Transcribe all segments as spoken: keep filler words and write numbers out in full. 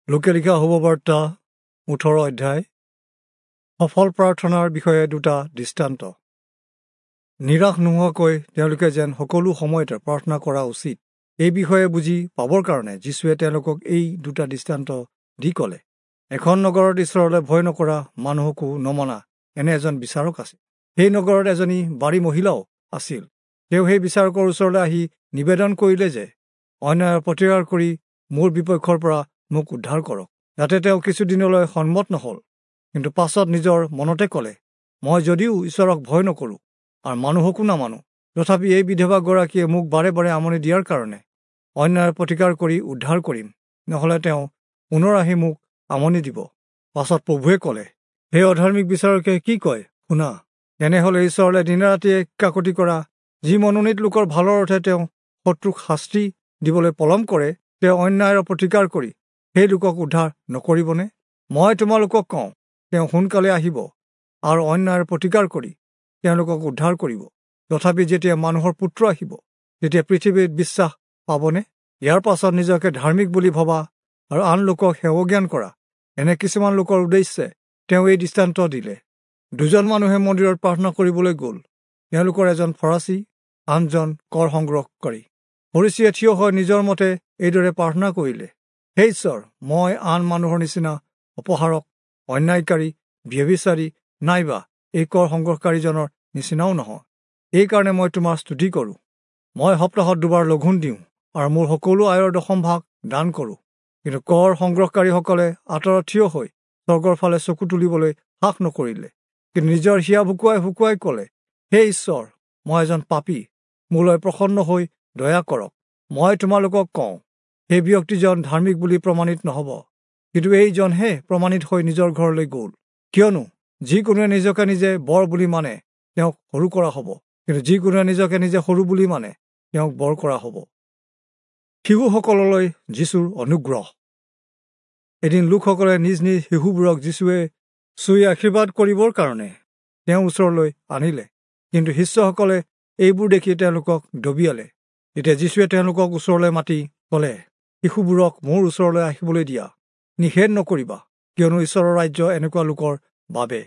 লোকে লিখা শুভবাৰ্তা ওঠৰ অধ্যায়। সফল প্ৰাৰ্থনাৰ বিষয়ে দুটা দৃষ্টান্ত। নিৰাশ নোহোৱাকৈ তেওঁলোকে যেন সকলো সময়তে প্ৰাৰ্থনা কৰা উচিত, এই বিষয়ে বুজি পাবৰ কাৰণে যীশুৱে তেওঁলোকক এই দুটা দৃষ্টান্ত দি ক'লে, এখন নগৰত ঈশ্বৰলৈ ভয় নকৰা, মানুহকো নমনা এনে এজন বিচাৰক আছিল। সেই নগৰত এজনী বাৰী মহিলাও আছিল। তেওঁ সেই বিচাৰকৰ ওচৰলৈ আহি নিবেদন কৰিলে যে অন্যায়ৰ প্ৰতিকাৰ কৰি মোৰ বিপক্ষৰ পৰা মোক উদ্ধাৰ কৰক। যাতে তেওঁ কিছুদিনলৈ সন্মত নহ'ল, কিন্তু পাছত নিজৰ মনতে ক'লে, মই যদিও ঈশ্বৰক ভয় নকৰোঁ আৰু মানুহকো নামানো, তথাপি এই বিধৱাগৰাকীয়ে মোক বাৰে বাৰে আমনি দিয়াৰ কাৰণে অন্যায়ৰ প্ৰতিকাৰ কৰি উদ্ধাৰ কৰিম, নহ'লে তেওঁ পুনৰ আহি মোক আমনি দিব। পাছত প্ৰভুৱে ক'লে, সেই অধাৰ্মিক বিচাৰকে কি কয় শুনা, তেনেহ'লে ঈশ্বৰলৈ দিনে ৰাতিয়ে কাকতি কৰা যি মনোনীত লোকৰ ভালৰ অৰ্থে তেওঁ শত্ৰুক শাস্তি দিবলৈ পলম কৰে, তেওঁ অন্যায়ৰ প্ৰতিকাৰ কৰি সেই লোকক উদ্ধাৰ নকৰিবনে? মই তোমালোকক কওঁ, তেওঁ সোনকালে আহিব আৰু অন্যায়ৰ প্ৰতিকাৰ কৰি তেওঁলোকক উদ্ধাৰ কৰিব। তথাপি যেতিয়া মানুহৰ পুত্ৰ আহিব, তেতিয়া পৃথিৱীত বিশ্বাস পাবনে? ইয়াৰ পাছত নিজকে ধাৰ্মিক বুলি ভবা আৰু আন লোকক সেৱজ্ঞান কৰা এনে কিছুমান লোকৰ উদ্দেশ্যে তেওঁ এই দৃষ্টান্ত দিলে। দুজন মানুহে মন্দিৰত প্ৰাৰ্থনা কৰিবলৈ গ'ল। তেওঁলোকৰ এজন ফৰাচী, আনজন কৰ সংগ্ৰহকাৰী। ফৰীচীয়ে থিয় হৈ নিজৰ মতে এইদৰে প্ৰাৰ্থনা কৰিলে, হে ঈশ্বৰ, মই আন মানুহৰ নিচিনা অপহাৰক, অন্যায়কাৰী, ব্যভিচাৰী নাইবা এই কৰ সংগ্ৰহকাৰীজনৰ নিচিনাও নহয়। এইকাৰণে মই তোমাৰ স্তুতি কৰোঁ। মই সপ্তাহত দুবাৰ লঘোণ দিওঁ আৰু মোৰ সকলো আয়ৰ দশম ভাগ দান কৰোঁ। কিন্তু কৰ সংগ্ৰহকাৰীসকলে আঁতৰত থিয় হৈ স্বৰ্গৰ ফালে চকু তুলিবলৈ সাহ নকৰিলে, কিন্তু নিজৰ হিয়া ভুকুৱাই ভুকুৱাই ক'লে, হে ঈশ্বৰ, মই এজন পাপী, মোলৈ প্ৰসন্ন হৈ দয়া কৰক। মই তোমালোকক কওঁ, সেই ব্যক্তিজন ধাৰ্মিক বুলি প্ৰমাণিত নহ'ব, কিন্তু এইজনহে প্ৰমাণিত হৈ নিজৰ ঘৰলৈ গ'ল। কিয়নো যিকোনোৱে নিজকে নিজে বৰ বুলি মানে তেওঁক সৰু কৰা হ'ব, কিন্তু যিকোনোৱে নিজকে নিজে সৰু বুলি মানে তেওঁক বৰ কৰা হ'ব। শিশুসকললৈ যীশুৰ অনুগ্ৰহ। এদিন লোকসকলে নিজ নিজ শিশুবোৰক যীশুৱে চুই আশীৰ্বাদ কৰিবৰ কাৰণে তেওঁৰ ওচৰলৈ আনিলে, কিন্তু শিষ্যসকলে এইবোৰ দেখি তেওঁলোকক ডবিয়ালে। তেতিয়া যীশুৱে তেওঁলোকক ওচৰলৈ মাতি ক'লে, শিশুবোৰক মোৰ ওচৰলৈ আহিবলৈ দিয়া, নিষেধ নকৰিবা, কিয়নো ঈশ্বৰৰ ৰাজ্য এনেকুৱা লোকৰ বাবে।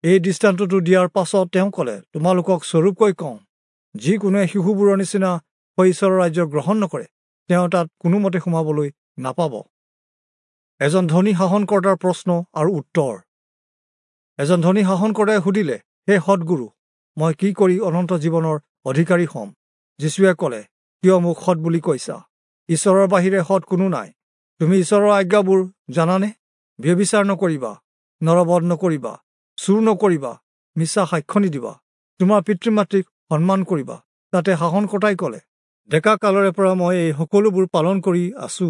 এই দৃষ্টান্তটো দিয়াৰ পাছত তেওঁ ক'লে, তোমালোকক স্বৰূপকৈ কওঁ, যিকোনোৱে শিশুবোৰৰ নিচিনা হৈ ঈশ্বৰৰ ৰাজ্য গ্ৰহণ নকৰে, তেওঁ তাত কোনোমতে সোমাবলৈ নাপাব। এজন ধনী শাসনকৰ্তাৰ প্ৰশ্ন আৰু উত্তৰ। এজন ধনী শাসনকৰ্তাই সুধিলে, হে সৎগুৰু, মই কি কৰি অনন্ত জীৱনৰ অধিকাৰী হ'ম? যীশুৱে ক'লে, কিয় মোক সৎ বুলি কৈছা? ঈশ্বৰৰ বাহিৰে সৎ কোনো নাই। তুমি ঈশ্বৰৰ আজ্ঞাবোৰ জানানে? ব্যভিচাৰ নকৰিবা, নৰবধ নকৰিবা, চুৰ নকৰিবা, মিছা সাক্ষ্য নিদিবা, তোমাৰ পিতৃ মাতৃক সন্মান কৰিবা। তাতে শাসনকৰ্তাই ক'লে, ডেকা কালৰে পৰা মই এই সকলোবোৰ পালন কৰি আছো।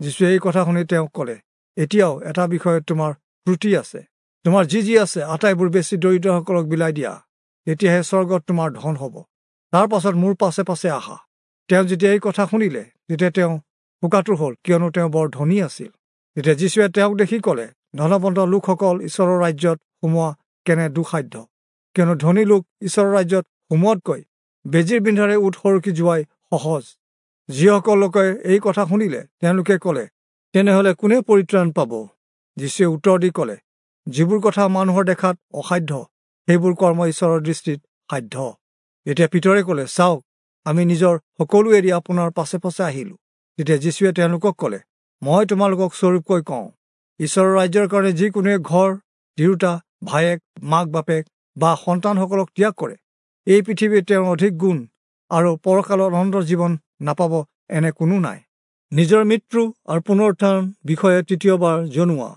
যীশুৱে এই কথা শুনি তেওঁক ক'লে, এতিয়াও এটা বিষয়ত তোমাৰ ত্ৰুটি আছে। তোমাৰ যি যি আছে আটাইবোৰ বেছি দৰিদ্ৰসকলক বিলাই দিয়া, তেতিয়াহে স্বৰ্গত তোমাৰ ধন হ'ব। তাৰ পাছত মোৰ পাছে পাছে আহা। তেওঁ যেতিয়া এই কথা শুনিলে, তেতিয়া তেওঁ শোকাতুৰ হ'ল, কিয়নো তেওঁ বৰ ধনী আছিল। তেতিয়া যীশুৱে তেওঁক দেখি ক'লে, ধনৱন্ত লোকসকল ঈশ্বৰৰ ৰাজ্যত সোমোৱা কেনে দুঃসাধ্য! কিয়নো ধনী লোক ঈশ্বৰৰ ৰাজ্যত সোমোৱাতকৈ বেজীৰ বিন্ধাৰে উট সৰকি যোৱাই সহজ। যিসকল লোকে এই কথা শুনিলে, তেওঁলোকে ক'লে, তেনেহ'লে কোনে পৰিত্ৰাণ পাব? যীশুৱে উত্তৰ দি ক'লে, যিবোৰ কথা মানুহৰ দেখাত অসাধ্য, সেইবোৰ কৰ্ম ঈশ্বৰৰ দৃষ্টিত সাধ্য। তেতিয়া পিতৰে ক'লে, চাওক, আমি নিজৰ সকলো এৰি আপোনাৰ পাছে পাছে আহিলোঁ। তেতিয়া যীশুৱে তেওঁলোকক ক'লে, মই তোমালোকক স্বৰূপকৈ কওঁ, ঈশ্বৰৰ ৰাজ্যৰ কাৰণে যিকোনোৱে ঘৰ, তিৰোতা, ভায়েক, মাক বাপেক বা সন্তানসকলক ত্যাগ কৰে, এই পৃথিৱীত তেওঁৰ অধিক গুণ আৰু পৰকালত অনন্ত জীৱন নাপাব এনে কোনো নাই। নিজৰ মৃত্যু আৰু পুনৰুত্থান বিষয়ে তৃতীয়বাৰ জনোৱা।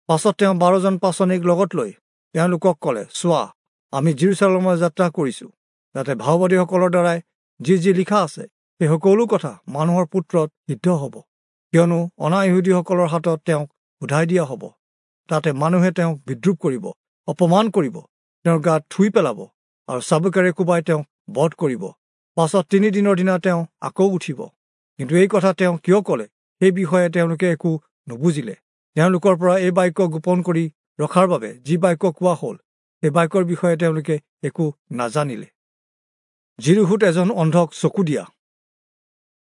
পাছত তেওঁ বাৰজন পাচনিক লগত লৈ তেওঁলোকক ক'লে, চোৱা, আমি যিৰূচালেমলৈ যাত্ৰা কৰিছোঁ, যাতে ভাওবাদীসকলৰ দ্বাৰাই যি যি লিখা আছে সেই সকলো কথা মানুহৰ পুত্ৰত সিদ্ধ হ'ব। কিয়নো অনা-ইহুদীসকলৰ হাতত তেওঁক সোধাই দিয়া হ'ব, তাতে মানুহে তেওঁক বিদ্ৰূপ কৰিব, অপমান কৰিব, তেওঁৰ গাত থুই পেলাব আৰু চাবুকেৰে কোবাই তেওঁক বধ কৰিব। পাছত তিনিদিনৰ দিনা তেওঁ আকৌ উঠিব। কিন্তু এই কথা তেওঁ কিয় ক'লে সেই বিষয়ে তেওঁলোকে একো নুবুজিলে। তেওঁলোকৰ পৰা এই বাক্য গোপন কৰি ৰখাৰ বাবে যি বাক্য কোৱা হ'ল, সেই বাক্যৰ বিষয়ে তেওঁলোকে একো নাজানিলে। যিৰিহোত এজন অন্ধক চকু দিয়া।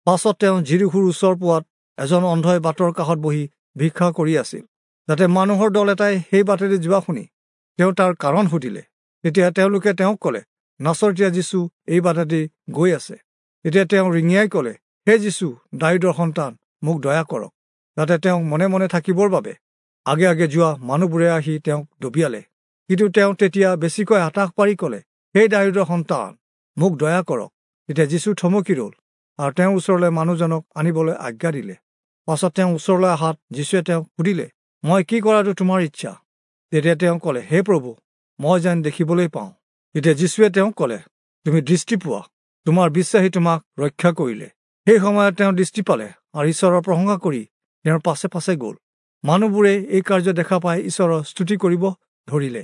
পাছত তেওঁ যিৰিহোৰ ওচৰ পোৱাত এজন অন্ধই বাটৰ কাষত বহি ভিক্ষা কৰি আছিল। যাতে মানুহৰ দল এটাই সেই বাটেদি যোৱা শুনি তেওঁ তাৰ কাৰণ সুধিলে। তেতিয়া তেওঁলোকে তেওঁক ক'লে, নাচৰতীয়া যীচু এই বাটেদি গৈ আছে। তেতিয়া তেওঁ ৰিঙিয়াই ক'লে, হে যীচু, দায়ূদৰ সন্তান, মোক দয়া কৰক। যাতে তেওঁক মনে মনে থাকিবৰ বাবে আগে আগে যোৱা মানুহবোৰে আহি তেওঁক ডবিয়ালে। কিন্তু তেওঁ তেতিয়া বেছিকৈ হতাশ পাৰি ক'লে, হে দায়ূদৰ সন্তান, মোক দয়া কৰক। তেতিয়া যীচু থমকি ৰ'ল আৰু তেওঁৰ ওচৰলৈ মানুহজনক আনিবলৈ আজ্ঞা দিলে। পাছত তেওঁ ওচৰলৈ অহাত যীচুৱে তেওঁক সুধিলে, মই কি কৰাটো তোমাৰ ইচ্ছা? তেতিয়া তেওঁ ক'লে, হে প্ৰভু, মই যেন দেখিবলৈ পাওঁ। তেতিয়া যীচুৱে তেওঁক ক'লে, তুমি দৃষ্টি পোৱা, তোমাৰ বিশ্বাসী তোমাক ৰক্ষা কৰিলে। সেই সময়ত তেওঁ দৃষ্টি পালে আৰু ঈশ্বৰৰ প্ৰশংসা কৰি তেওঁৰ পাছে পাছে গ'ল। মানুহবোৰে এই কাৰ্য দেখা পাই ঈশ্বৰৰ স্তুতি কৰিব ধৰিলে।